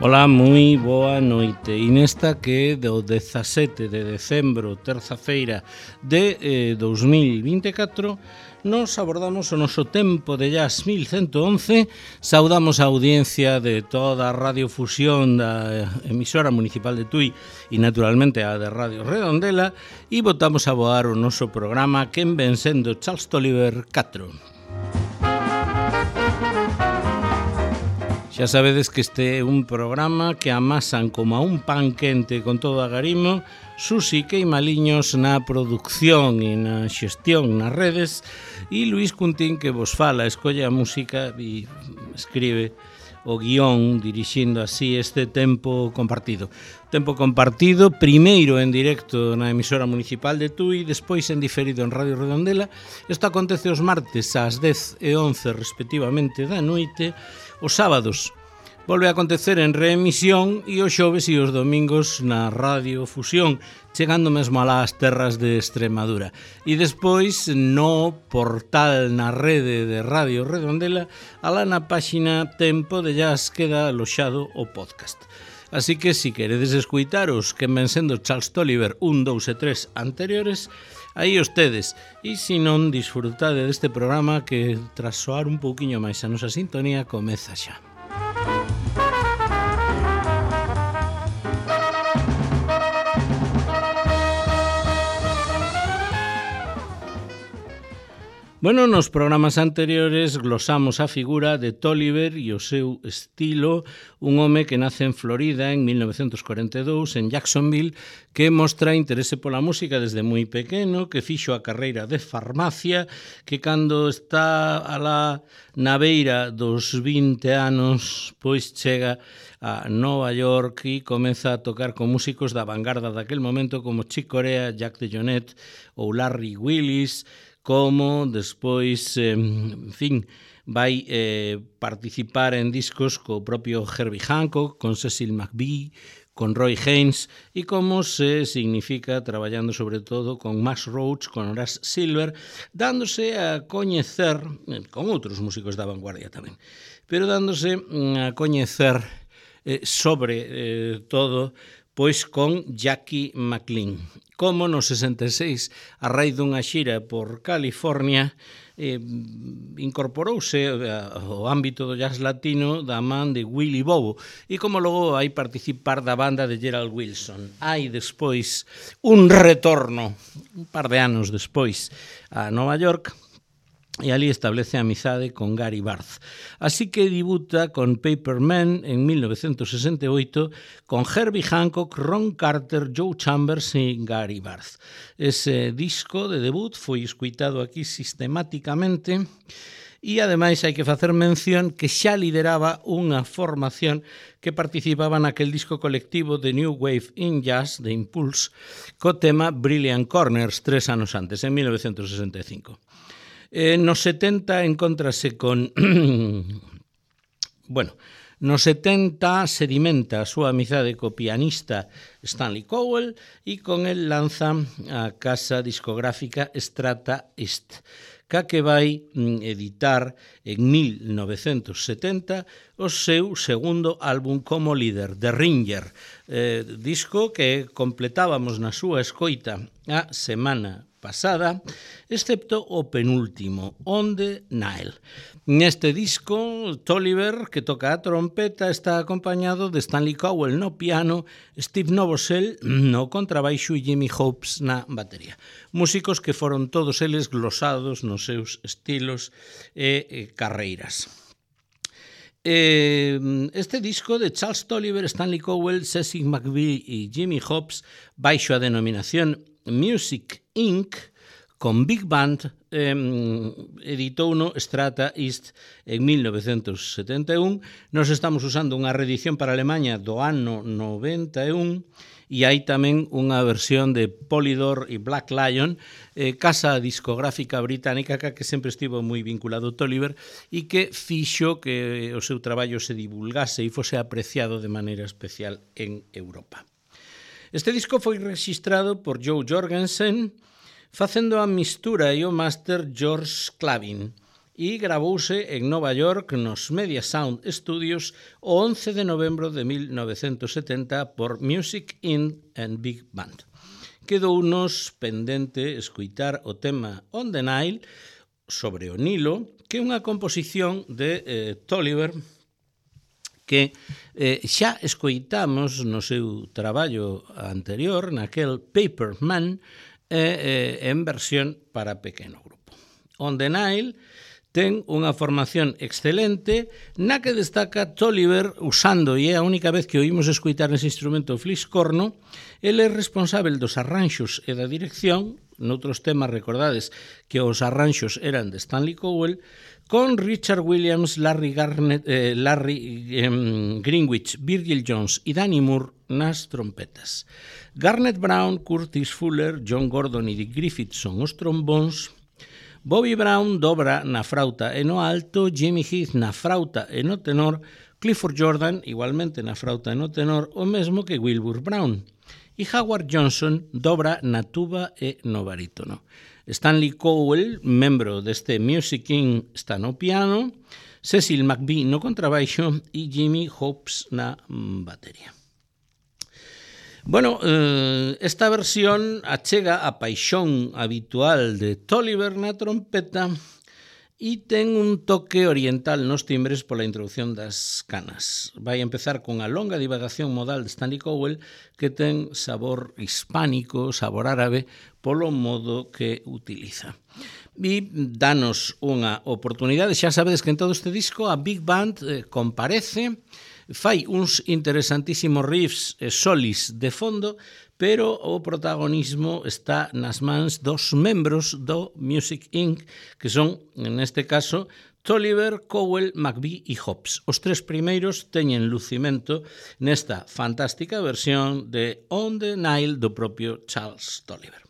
Ola, moi boa noite. E nesta que é do 17 de decembro, terza-feira de 2024, nos abordamos o noso tempo de jazz 1111, saudamos a audiencia de toda a radiofusión da emisora municipal de Tui e naturalmente a de Radio Redondela e botamos a voar o noso programa Quen ven sendo Charles Tolliver 4. Xa sabedes que este é un programa que amasan como a un pan quente con todo agarimo, Susi Queimaliños na producción e na xestión nas redes e Luís Cuntín que vos fala, escolle a música e escribe o guión dirixindo así este tempo compartido. Tempo compartido, primeiro en directo na emisora municipal de Tui, despois en diferido en Radio Redondela. Isto acontece os martes ás 10 e 11 respectivamente da noite. Os sábados volve a acontecer en reemisión e os xoves e os domingos na Radio Fusión, chegando mesmo alá as terras de Extremadura. E despois no portal na rede de Radio Redondela, alá na páxina Tempo de Jazz queda aloxado o podcast. Así que, se queredes escuitaros que ven sendo Charles Tolliver 1, 2 e 3 anteriores, aí os tedes. E se non, disfrutade deste programa que, tras soar un pouquiño máis a nosa sintonía, comeza xa. Bueno, nos programas anteriores glosamos a figura de Tolliver e o seu estilo, un home que nace en Florida en 1942, en Jacksonville, que mostra interese pola música desde moi pequeno, que fixo a carreira de farmacia, que cando está alá na beira dos 20 anos, pois chega a Nova York e comeza a tocar con músicos da vanguarda daquel momento como Chick Corea, Jack DeJohnette ou Larry Willis, como despois, en fin, vai participar en discos co propio Herbie Hancock, con Cecil McBee, con Roy Haynes, e como se significa traballando sobre todo con Max Roach, con Horace Silver, dándose a coñecer, con outros músicos da vanguardia tamén, pero dándose a coñecer sobre todo pois con Jackie McLean. Como no 66, a raíz dunha xira por California, incorporouse ao ámbito do jazz latino da man de Willie Bobo e como logo vai participar da banda de Gerald Wilson. Hai despois un retorno, un par de anos despois, a Nova York, e ali establece amizade con Gary Barth. Así que debuta con Paper Man en 1968 con Herbie Hancock, Ron Carter, Joe Chambers e Gary Barth. Ese disco de debut foi escuitado aquí sistemáticamente e ademais hai que facer mención que xa lideraba unha formación que participaba naquel disco colectivo de New Wave in Jazz de Impulse co tema Brilliant Corners 3 anos antes, en 1965. Nos 70 encontrase con... bueno, nos 70 sedimenta a súa amizade co pianista Stanley Cowell e con el lanza a casa discográfica Strata East, que vai editar en 1970 o seu segundo álbum como líder, The Ringer, disco que completábamos na súa escoita a semana pasada, excepto o penúltimo, On the Nile. Neste disco, Tolliver, que toca a trompeta, está acompañado de Stanley Cowell no piano, Steve Novosel no contrabaixo e Jimmy Hopes na batería. Músicos que foron todos eles glosados nos seus estilos e carreiras. Este disco de Charles Tolliver, Stanley Cowell, Cecil McBee e Jimmy Hopes, baixo a denominación Music Inc., con Big Band, editou no Strata East en 1971. Nos estamos usando unha reedición para Alemanha do ano 91 e hai tamén unha versión de Polydor e Black Lion, casa discográfica británica que sempre estivo moi vinculado a Tolliver e que fixo que o seu traballo se divulgase e fose apreciado de maneira especial en Europa. Este disco foi registrado por Joe Jorgensen, facendo a mistura e o máster George Clavin, e gravouse en Nova York nos Media Sound Studios o 11 de novembro de 1970 por Music Inc. and Big Band. Quedounos pendente escoitar o tema On the Nile, sobre o Nilo, que é unha composición de Tolliver que xa escoitamos no seu traballo anterior, naquel Paper Man, en versión para pequeno grupo. On the Nile ten unha formación excelente na que destaca Tolliver usando, e é a única vez que oímos escoitar ese instrumento fliscorno. Ele é responsável dos arranxos e da dirección. Noutros temas recordades que os arranxos eran de Stanley Cowell, con Richard Williams, Larry Greenwich, Virgil Jones e Danny Moore nas trompetas. Garnet Brown, Curtis Fuller, John Gordon e Dick Griffith son os trombóns. Bobby Brown dobra na frauta e no alto, Jimmy Heath na frauta e no tenor, Clifford Jordan igualmente na frauta e no tenor, o mesmo que Wilbur Brown. E Howard Johnson dobra na tuba e no barítono. Stanley Cowell, membro deste Music Inc., está no piano, Cecil McBee no contrabaixo e Jimmy Hobbs na batería. Bueno, esta versión achega a paixón habitual de Tolliver na trompeta e ten un toque oriental nos timbres pola introducción das canas. Vai empezar con a longa divagación modal de Stanley Cowell que ten sabor hispánico, sabor árabe, polo modo que utiliza. E danos unha oportunidade. Xa sabedes que en todo este disco a Big Band comparece, fai uns interesantísimos riffs e solis de fondo, pero o protagonismo está nas mans dos membros do Music Inc., que son, neste caso, Tolliver, Cowell, McBee e Hobbs. Os tres primeiros teñen lucimento nesta fantástica versión de On the Nile do propio Charles Tolliver.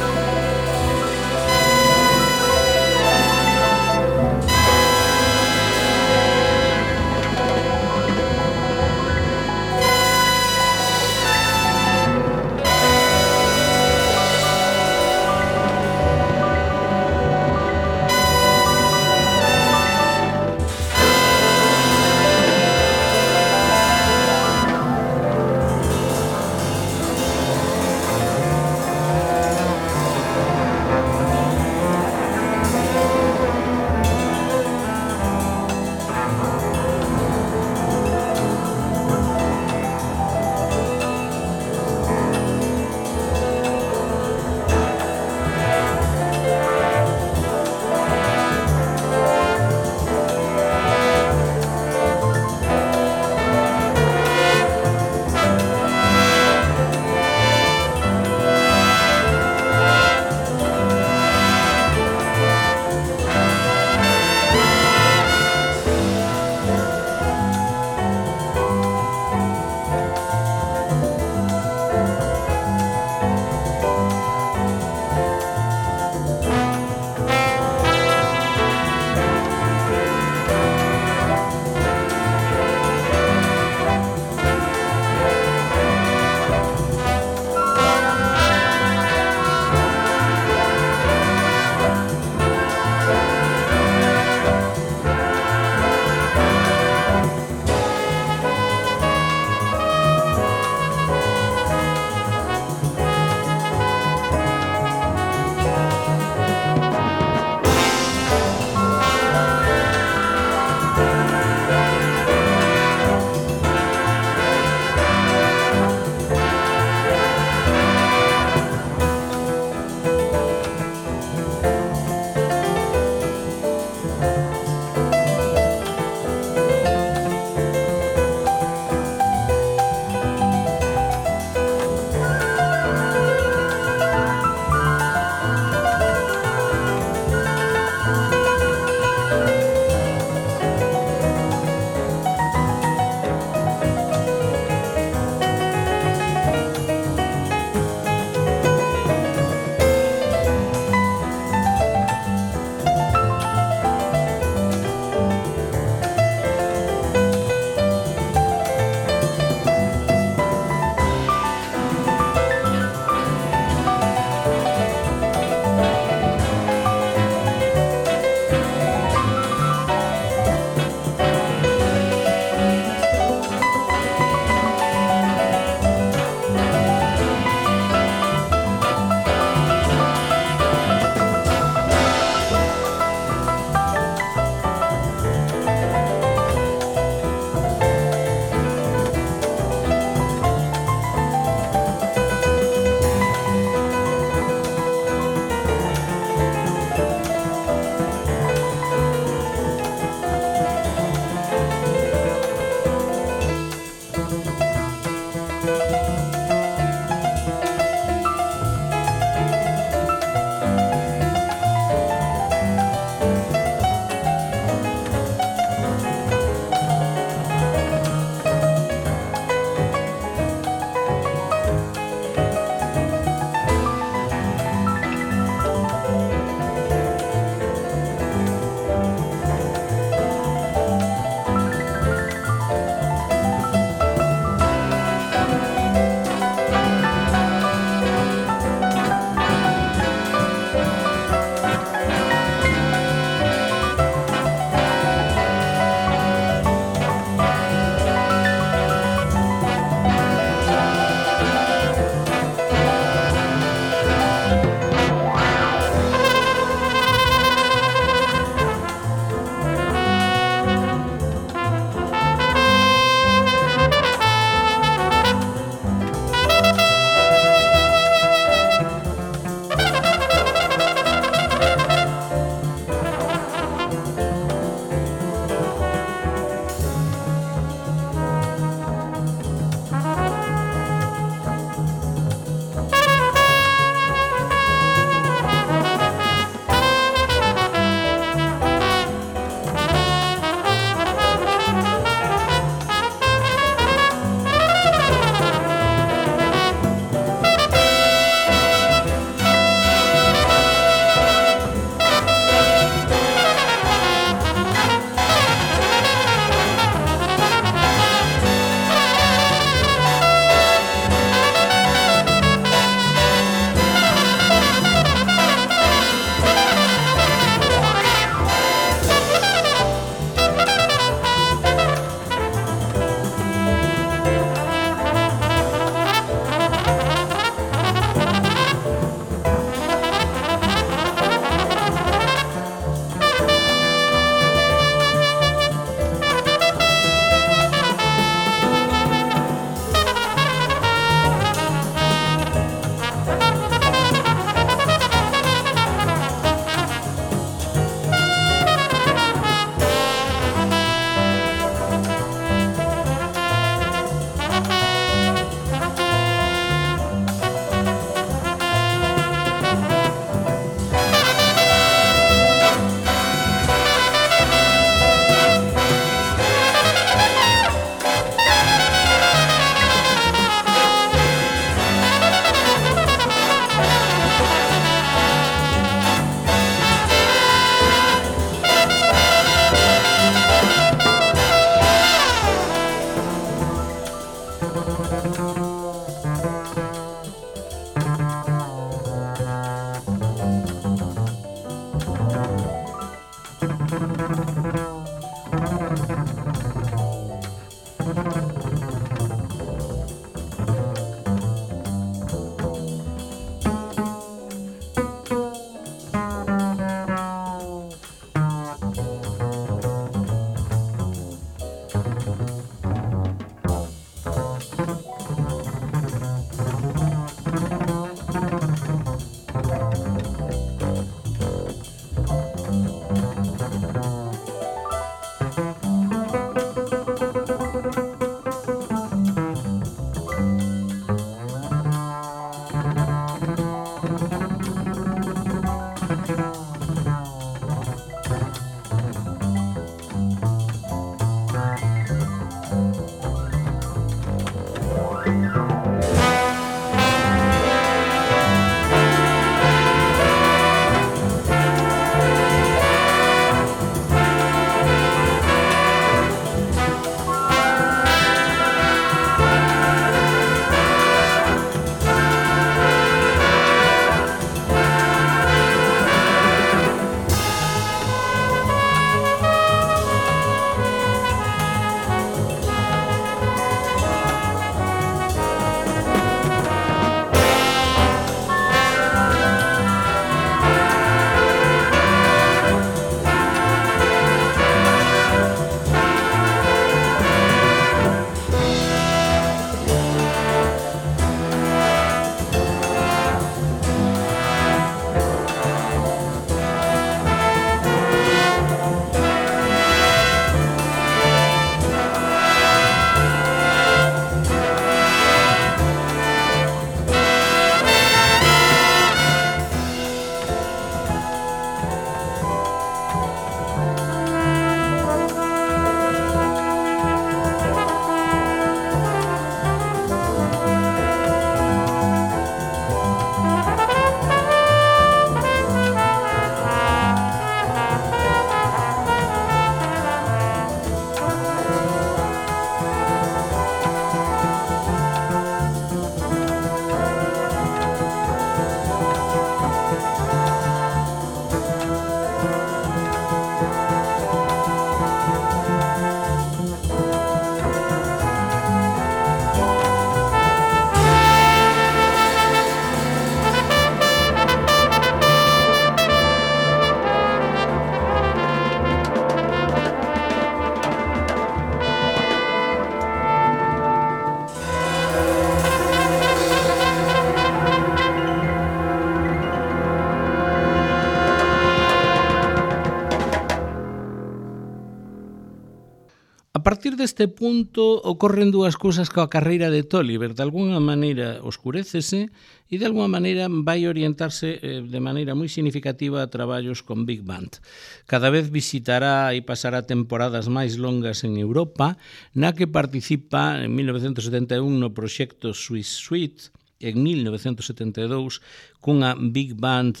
A partir deste punto ocorren dúas cousas coa carreira de Tolliver. De alguna maneira oscurécese e de alguna maneira vai orientarse de maneira moi significativa a traballos con Big Band. Cada vez visitará e pasará temporadas máis longas en Europa, na que participa en 1971 no proxecto Swiss Suite, en 1972 cunha Big Band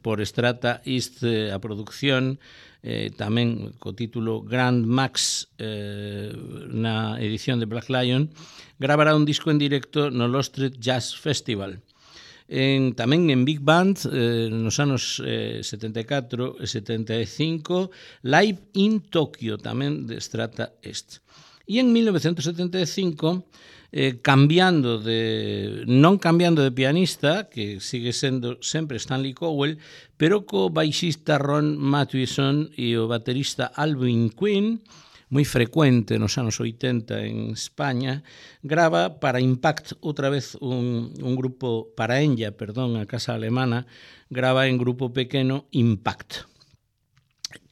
por Strata East a producción, tamén co título Grand Max na edición de Black Lion, gravará un disco en directo no Lost Street Jazz Festival. Tamén en Big Band, nos anos 74 e 75, Live in Tokyo, tamén de Strata East. E en 1975, non cambiando de pianista, que sigue sendo sempre Stanley Cowell, pero co baixista Ron Mathewson e o baterista Alvin Queen, moi frecuente nos anos 80 en España, grava para Impact outra vez un grupo, para Enya, a casa alemana, grava en grupo pequeno Impact,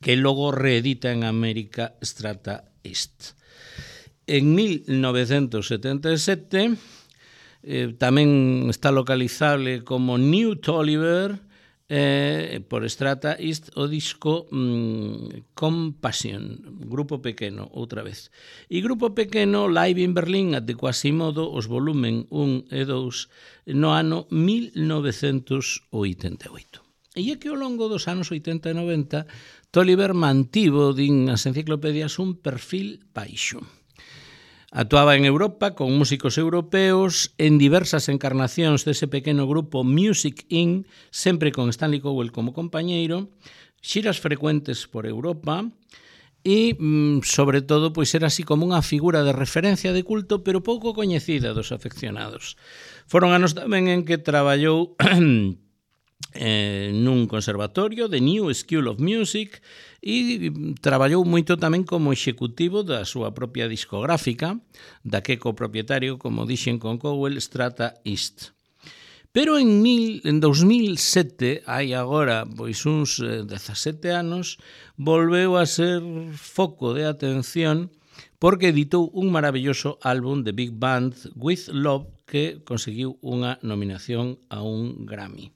que logo reedita en América Strata East. En 1977 tamén está localizable como New Tolliver por Strata East o disco Compassion, grupo pequeno, outra vez. E grupo pequeno Live in Berlin at the Quasimodo, os volumen 1 e 2 no ano 1988. E é que ao longo dos anos 80 e 90 Tolliver mantivo, din as enciclopedias, un perfil baixo. Actuaba en Europa con músicos europeos en diversas encarnacións dese pequeno grupo Music Inc., sempre con Stanley Cowell como compañeiro, xiras frecuentes por Europa e, sobre todo, pois era así como unha figura de referencia de culto, pero pouco coñecida dos afeccionados. Foron anos tamén en que traballou nun conservatorio de New School of Music e traballou moito tamén como executivo da súa propia discográfica, da que copropietario, como dixen con Cowell, Strata East. Pero en 2007, hai agora pois uns 17 anos, volveu a ser foco de atención porque editou un maravilloso álbum de Big Band, With Love, que conseguiu unha nominación a un Grammy.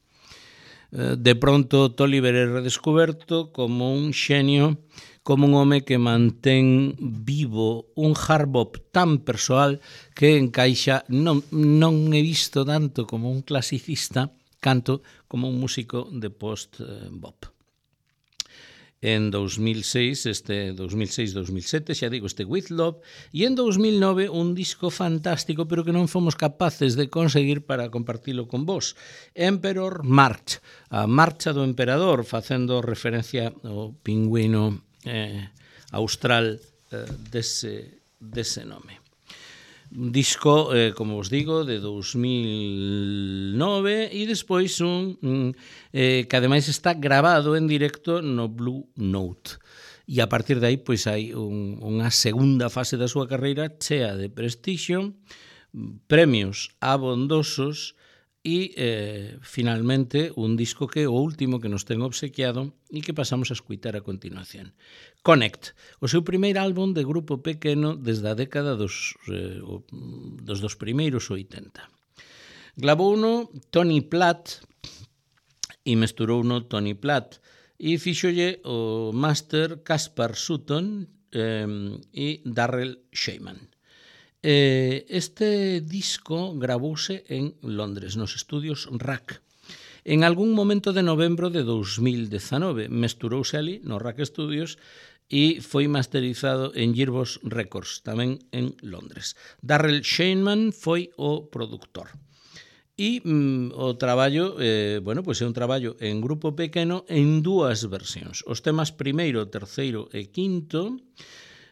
De pronto, Toliver é redescoberto como un xenio, como un home que mantén vivo un hard bop tan persoal que encaixa, non he visto tanto como un clasicista, canto como un músico de post-bop. En 2006, 2006-2007, xa digo, With Love, e en 2009 un disco fantástico, pero que non fomos capaces de conseguir para compartilo con vos. Emperor March, a marcha do emperador, facendo referencia ao pingüino austral dese nome. Un disco, como vos digo, de 2009 e despois un que ademais está grabado en directo no Blue Note. E a partir de aí pois hai unha segunda fase da súa carreira chea de prestixio, premios abondosos e finalmente un disco que é o último que nos ten obsequiado e que pasamos a escutar a continuación. Connect, o seu primeiro álbum de grupo pequeno desde a década dos primeiros 80. Gravouno Tony Platt e mesturouno Tony Platt e fíxolle o máster Caspar Sutton e Darrell Shaiman. Este disco gravouse en Londres, nos estudios RAC. En algún momento de novembro de 2019 mesturouse ali no RAC Studios e foi masterizado en Gearbox Records, tamén en Londres. Darrell Shaiman foi o produtor. E o traballo, pois é un traballo en grupo pequeno en dúas versións. Os temas primeiro, terceiro e quinto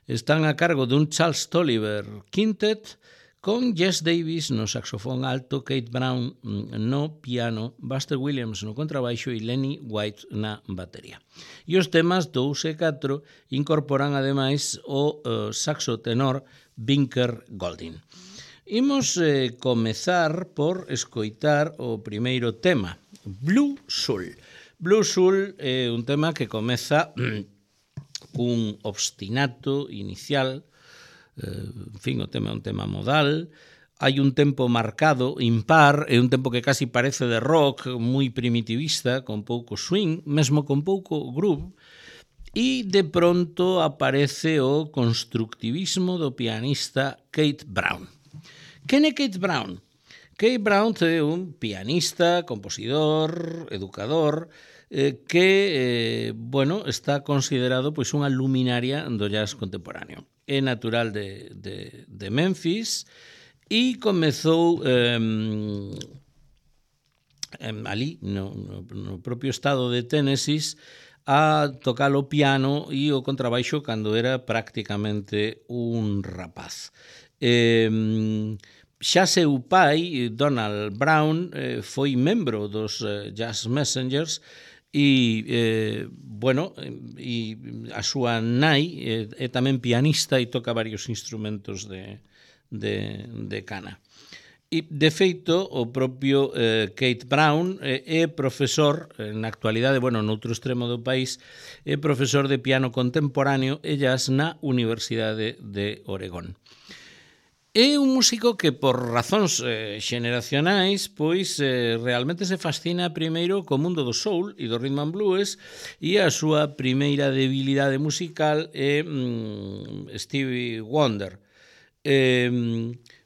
están a cargo dun Charles Toliver Quintet con Jess Davis no saxofón alto, Kate Brown no piano, Buster Williams no contrabaixo e Lenny White na batería. E os temas 2 e 4 incorporan ademais o saxo tenor Binker Golding. Imos comezar por escoitar o primeiro tema, Blue Soul. Blue Soul é un tema que comeza cun obstinato inicial, en fin, o tema é un tema modal, hai un tempo marcado, impar, é un tempo que casi parece de rock, moi primitivista, con pouco swing, mesmo con pouco groove, e de pronto aparece o constructivismo do pianista Kate Brown. Quen é Kate Brown? Kate Brown é un pianista, compositor, educador, que, está considerado pois unha luminaria do jazz contemporáneo. É natural de Memphis e comezou ali, no propio estado de Tennessee, a tocar o piano e o contrabaixo cando era prácticamente un rapaz. Xa seu pai, Donald Brown, foi membro dos Jazz Messengers e a súa nai é tamén pianista e toca varios instrumentos de cana. E, de feito, o propio Kate Brown é profesor, na actualidade, noutro extremo do país, é profesor de piano contemporáneo e jazz na Universidade de Oregón. É un músico que, por razóns xeneracionais, pois realmente se fascina primeiro co mundo do soul e do rhythm and blues e a súa primeira debilidade musical é Stevie Wonder.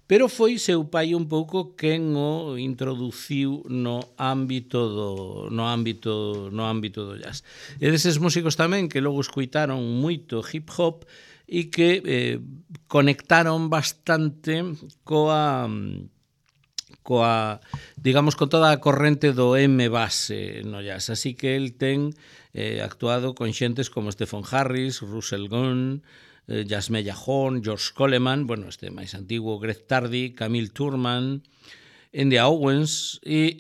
Pero foi seu pai un pouco quen o introduciu no ámbito do jazz. E deses músicos tamén que logo escoitaron moito hip hop e que conectaron bastante digamos, con toda a corrente do M base no jazz. Así que el ten actuado con xentes como Stephen Harris, Russell Gunn, Yasmaya Horn, George Coleman, bueno, este máis antigo, Greg Tardy, Camille Turman, Andy Owens e,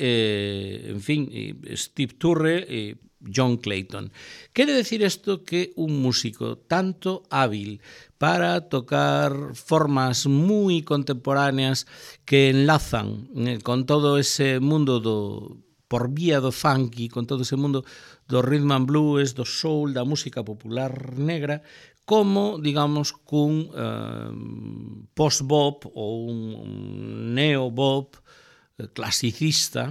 en fin, Steve Turre e John Clayton. Quere decir isto que un músico tanto hábil para tocar formas moi contemporáneas que enlazan con todo ese mundo por vía do funky, con todo ese mundo do rhythm and blues, do soul, da música popular negra, como, digamos, cun post-bop ou un neo-bop clasicista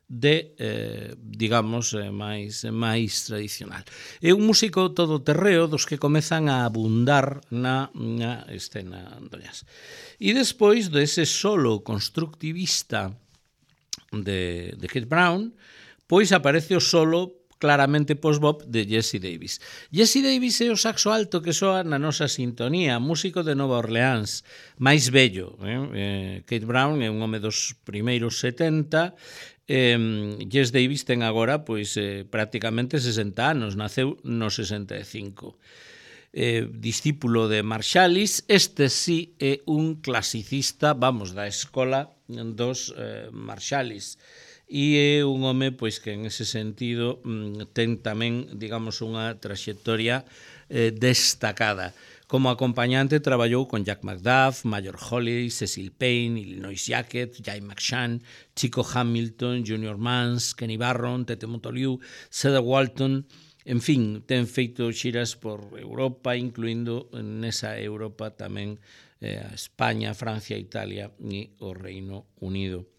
digamos, máis tradicional. É un músico todoterreo dos que comezan a abundar na escena do jazz. E despois dese solo constructivista de Keith Brown, pois aparece o solo claramente post-bop de Jesse Davis. Jesse Davis é o saxo alto que soa na nosa sintonía, músico de Nova Orleans, máis bello. Keith Brown é un home dos primeiros 70, Jesse Davis ten agora pois prácticamente 60 anos, naceu no 65. Discípulo de Marsalis, este sí é un clasicista, vamos, da escola dos Marsalis, e é un home pois que en ese sentido ten tamén, digamos, unha traxectoria destacada. Como acompañante traballou con Jack McDuff, Major Holly, Cecil Payne, Illinois Jacquet, Jay McShann, Chico Hamilton, Junior Mance, Kenny Barron, Tete Montoliu, Cedar Walton. En fin, ten feito xiras por Europa, incluindo nesa Europa tamén a España, Francia, Italia e o Reino Unido.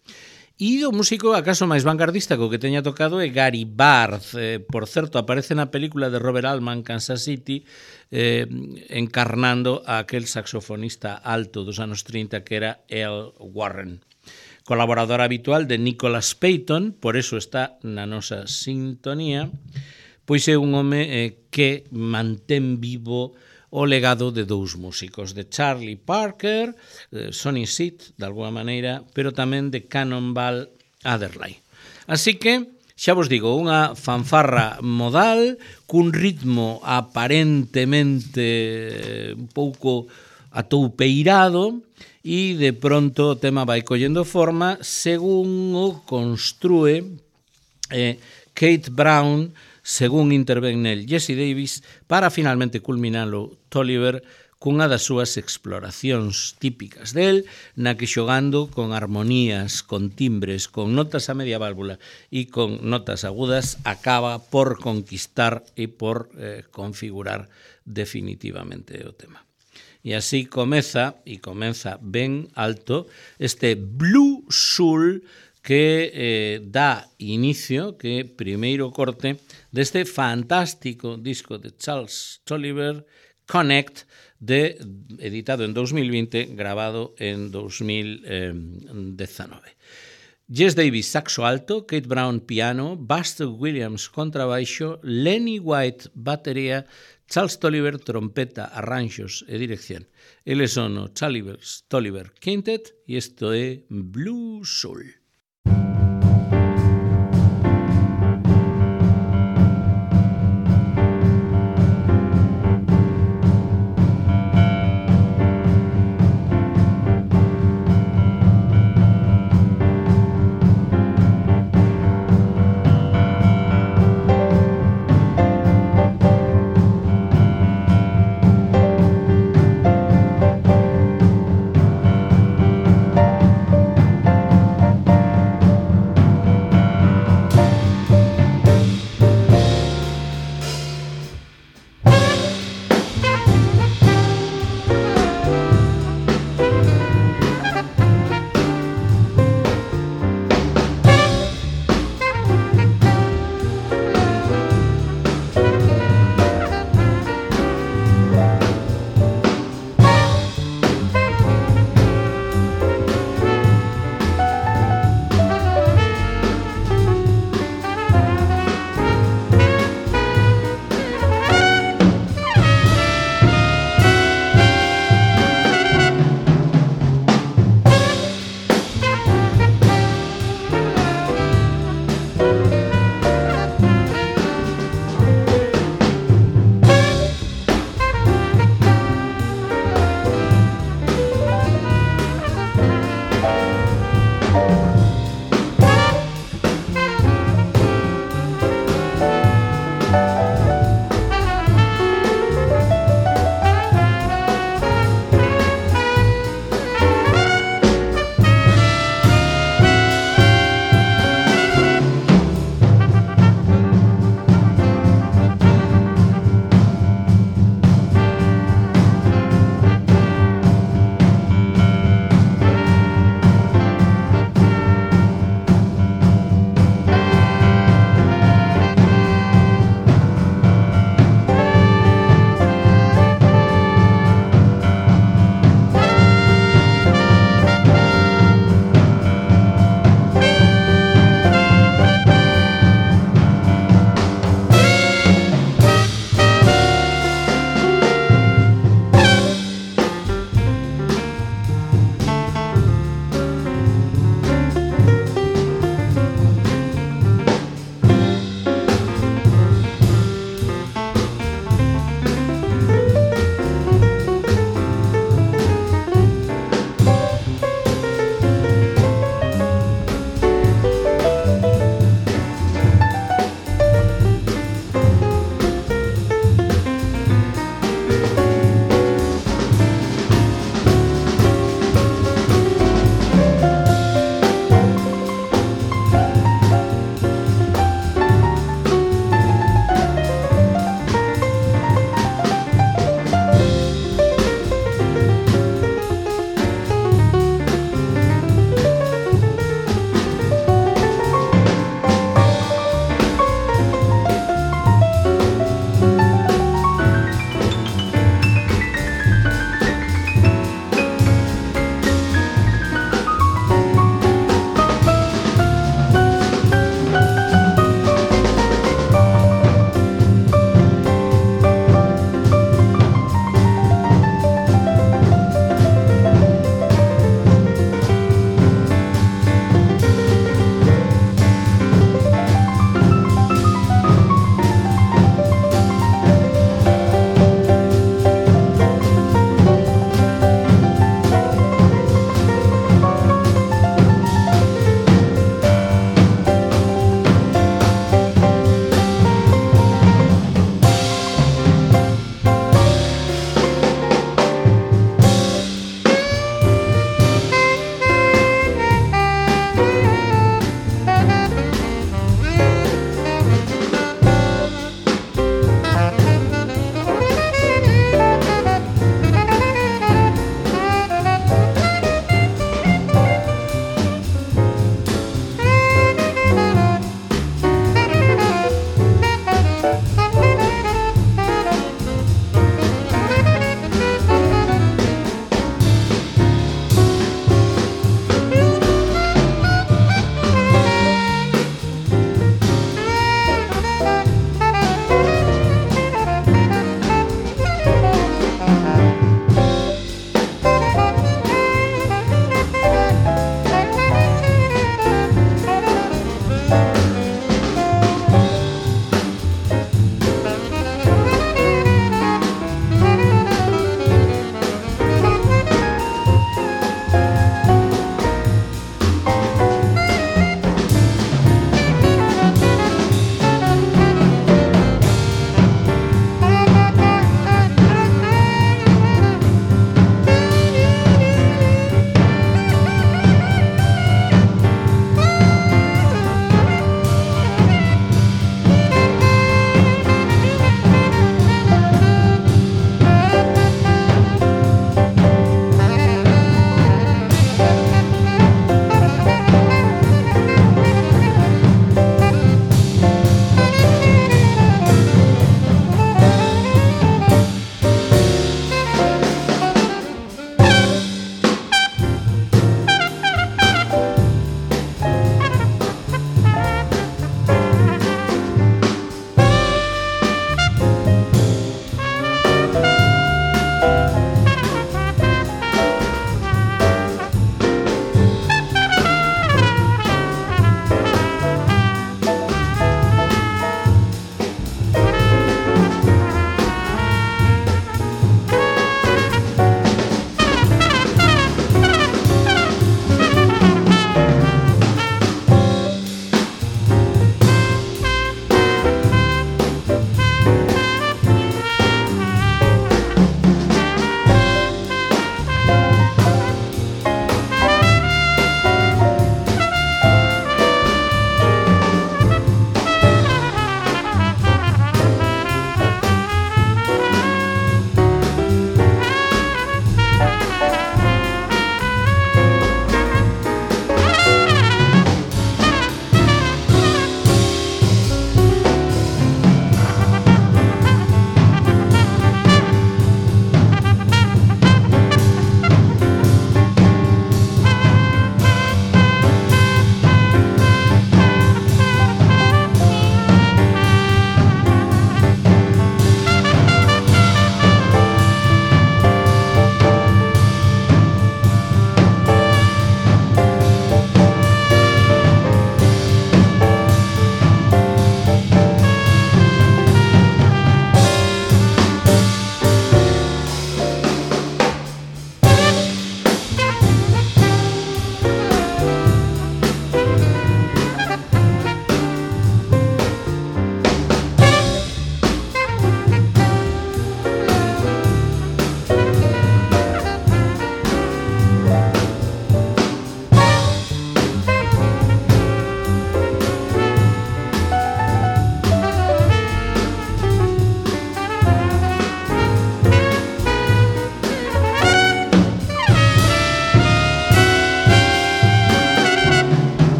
E o músico acaso máis vanguardista co que teña tocado é Gary Barth. Por certo, aparece na película de Robert Altman, Kansas City, encarnando a aquel saxofonista alto dos anos 30 que era Earl Warren. Colaborador habitual de Nicholas Payton, por eso está na nosa sintonía, pois é un home que mantén vivo o legado de dous músicos, de Charlie Parker, Sonny Stitt, de alguma maneira, pero tamén de Cannonball Adderley. Así que, xa vos digo, unha fanfarra modal, cun ritmo aparentemente un pouco atoupeirado, e de pronto o tema vai collendo forma según o construe Keith Brown, según intervén nel Jesse Davis, para finalmente culminalo Tolliver cunha das súas exploracións típicas del, na que xogando con armonías, con timbres, con notas a media válvula e con notas agudas, acaba por conquistar e por configurar definitivamente o tema. E así comeza ben alto, este Blue Soul que dá inicio, que primeiro corte deste fantástico disco de Charles Tolliver, Connect, editado en 2020, grabado en 2019. Jesse Davis, saxo alto, Keith Brown, piano, Buster Williams, contrabaixo, Lenny White, batería, Charles Tolliver, trompeta, arranxos e dirección. Eles son o Tolliver Quintet e isto é Blue Soul.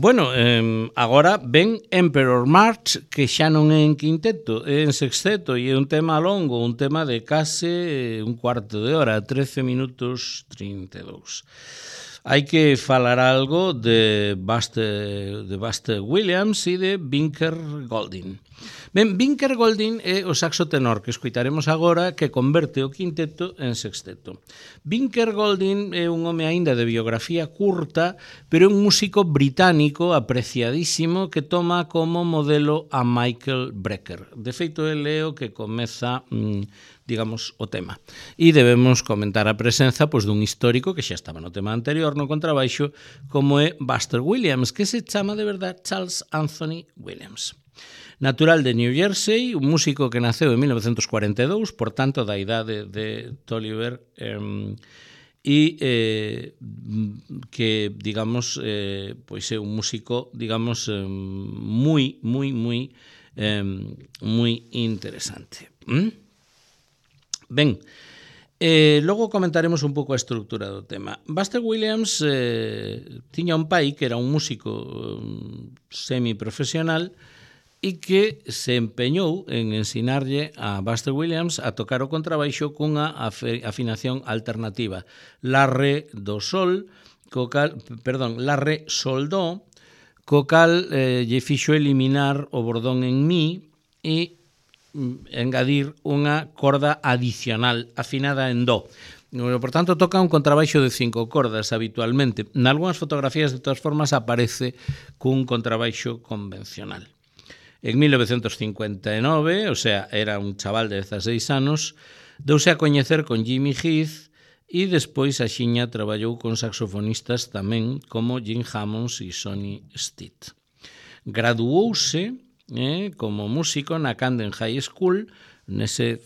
Bueno, agora ven Emperor March, que xa non é en quinteto, é en sexteto, e é un tema longo, un tema de case un cuarto de hora, 13 minutos 32. Hai que falar algo de Buster Williams e de Binker Golding. Ben, Binker Golding é o saxo tenor que escoitaremos agora, que converte o quinteto en sexteto. Binker Golding é un home aínda de biografía curta, pero é un músico británico apreciadísimo que toma como modelo a Michael Brecker. De feito, ele é o que comeza digamos, o tema. E debemos comentar a presenza pois, dun histórico que xa estaba no tema anterior, no contrabaixo, como é Buster Williams, que se chama de verdade Charles Anthony Williams. Natural de New Jersey, un músico que naceu en 1942, por tanto, da idade de Tolliver, que, digamos, pois é un músico, digamos, moi interesante. Ben, logo comentaremos un pouco a estrutura do tema. Buster Williams tiña un pai que era un músico semiprofesional e que se empeñou en ensinarlle a Buster Williams a tocar o contrabaixo cunha afinación alternativa. La, re, do, sol, la, re, sol, do, co cal lle fixo eliminar o bordón en mi e engadir unha corda adicional afinada en do. Por tanto, toca un contrabaixo de 5 cordas habitualmente. Nalgúnas fotografías, de todas formas, aparece cun contrabaixo convencional. En 1959, o sea, era un chaval de 16 anos, deuse a coñecer con Jimmy Heath e despois axiña traballou con saxofonistas tamén como Jim Hammonds e Sonny Stitt. Graduouse como músico na Camden High School, nese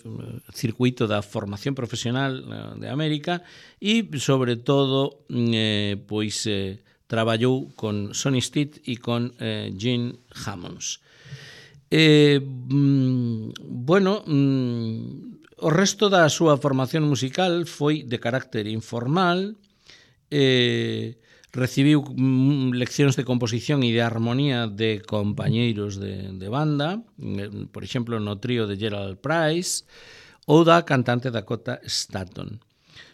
circuito da formación profesional de América, e, sobre todo, traballou con Sonny Stitt e con Jim Hammonds. O resto da súa formación musical foi de carácter informal, recibiu leccións de composición e de armonía de compañeiros de banda, por exemplo, no trío de Gerald Price, ou da cantante Dakota Stanton.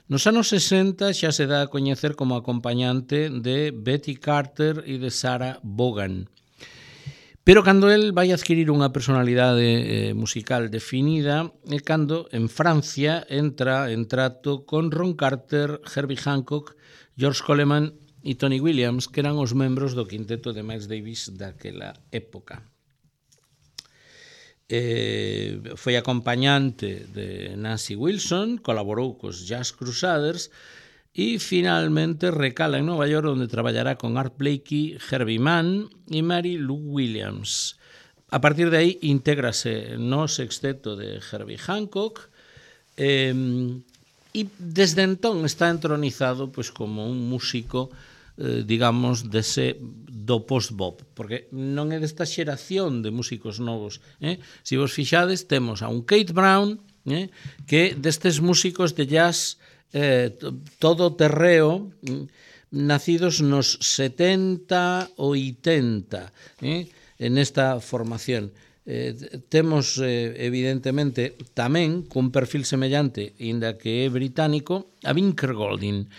Nos anos 60 xa se dá a coñecer como acompañante de Betty Carter e de Sarah Vaughan. Pero cando el vai adquirir unha personalidade musical definida é cando en Francia entra en trato con Ron Carter, Herbie Hancock, George Coleman e Tony Williams, que eran os membros do quinteto de Miles Davis daquela época. Foi acompañante de Nancy Wilson, colaborou cos Jazz Crusaders e finalmente recala en Nova York, onde traballará con Art Blakey, Herbie Mann e Mary Lou Williams. A partir de aí intégrase no sexteto de Herbie Hancock e desde entón está entronizado pois, como un músico digamos, do post-bop, porque non é desta xeración de músicos novos. Se vos fixades, temos a un Kate Brown, que destes músicos de jazz todo terreo, nacidos nos 70 ou 80, en esta formación. Temos, evidentemente, tamén, cun perfil semellante, inda que é británico, a Binker Golding.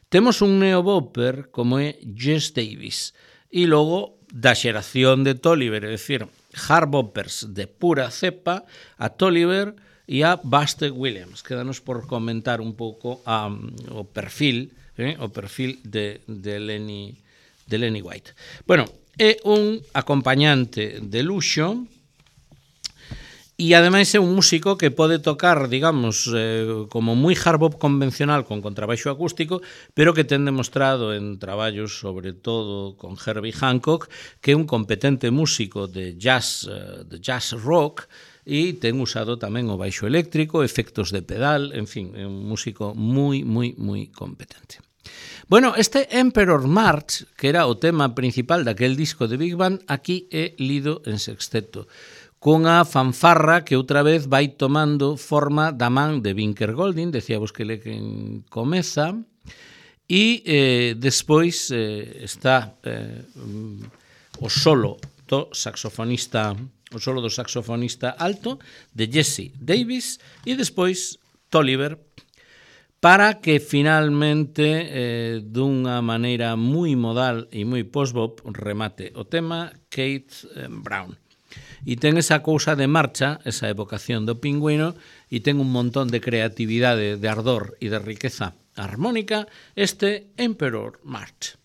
Temos un neobopper como é Jess Davis. E logo, da xeración de Tolliver, é dicir, hard boppers de pura cepa, a Tolliver e a Buster Williams. Quédanos por comentar un pouco o perfil de Lenny White. Bueno, é un acompañante de luxo e ademais é un músico que pode tocar, digamos, como moi hard bop convencional con contrabaixo acústico, pero que ten demostrado en traballos, sobre todo con Herbie Hancock, que é un competente músico de jazz rock, e ten usado tamén o baixo eléctrico, efectos de pedal, en fin, é un músico moi competente. Bueno, este Emperor March, que era o tema principal daquel disco de Big Band, aquí é lido en sexteto, cunha fanfarra que outra vez vai tomando forma da man de Binker Golding, decíamos que ele quen comeza, E despois está o solo do saxofonista alto de Jesse Davis e despois Tolliver, para que finalmente dunha maneira moi modal e moi post-bop remate o tema Kate Brown. E ten esa cousa de marcha, esa evocación do pingüino, e ten un montón de creatividade, de ardor e de riqueza armónica este Emperor March.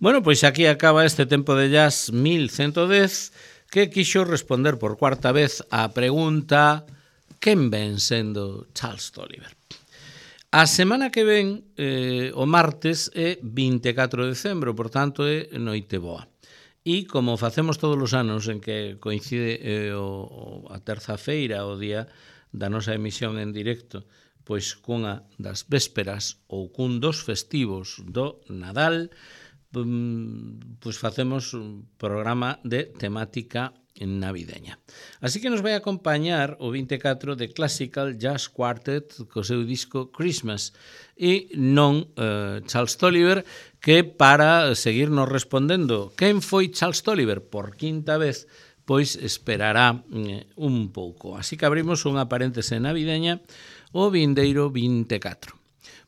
Bueno, pois aquí acaba este tempo de jazz 1110 que quixo responder por cuarta vez á pregunta quen ven sendo Charles Tolliver. A semana que ven, o martes, é 24 de decembro, por tanto é noite boa. E como facemos todos os anos en que coincide a terza feira, o día da nosa emisión en directo, pois cunha das vésperas ou cun dos festivos do Nadal, pois facemos un programa de temática navideña. Así que nos vai acompañar o 24 de Classical Jazz Quartet co seu disco Christmas e non Charles Tolliver, que para seguirnos respondendo quen foi Charles Tolliver por quinta vez, pois esperará un pouco. Así que abrimos unha paréntese navideña o vindeiro 24.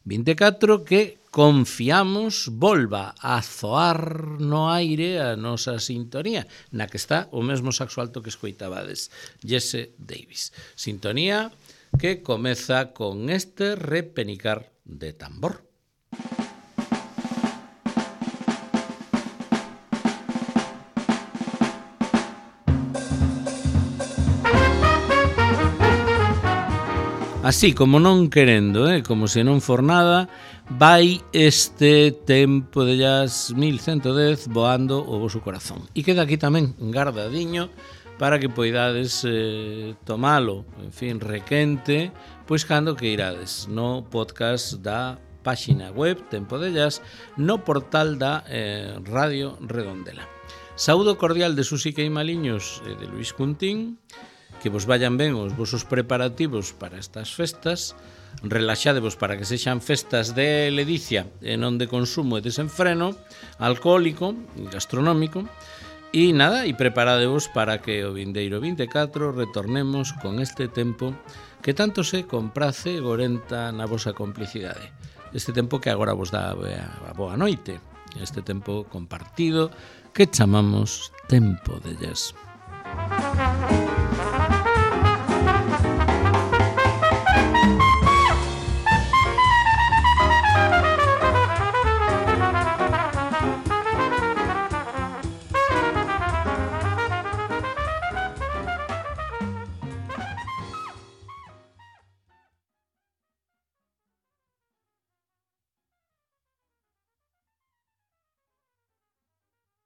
24 que confiamos volva a zoar no aire a nosa sintonía, na que está o mesmo saxo alto que escoitabades, Jesse Davis. Sintonía que comeza con este repenicar de tambor. Así, como non querendo, como se non for nada, vai este tempo de jazz 1110 voando o voso corazón. E queda aquí tamén guardadiño para que poidades tomalo, en fin, requente, pois cando que irades no podcast da páxina web Tempo de Jazz, no portal da Radio Redondela. Saúdo cordial de Susi Queimaliños e de Luis Cuntín. Que vos vayan ben os vosos preparativos para estas festas, relaxadevos para que sexan festas de ledicia e non de consumo e desenfreno, alcohólico e gastronómico, e nada, e preparadevos para que o vindeiro 24 retornemos con este tempo que tanto se comprace e gorenta na vosa complicidade. Este tempo que agora vos dá a boa noite, este tempo compartido que chamamos Tempo de Jazz.